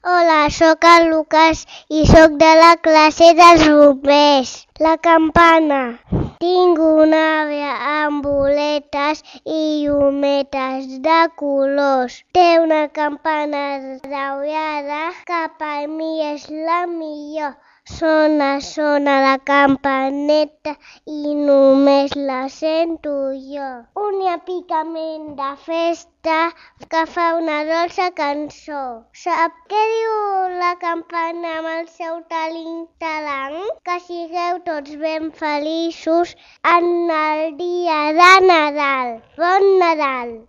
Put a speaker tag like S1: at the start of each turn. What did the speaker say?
S1: Hola, sóc el Lucas i sóc de la classe dels bombers. La campana. Tinc una ave amb boletes i llumetes de colors. Té una campana daurada que per mi és la millor. Sona la campaneta i només la sento jo. Un apicament de festa que fa una dolça cançó. Sap què diu la campana amb el seu talent? Que sigueu tots ben feliços en el dia de Nadal. Bon Nadal!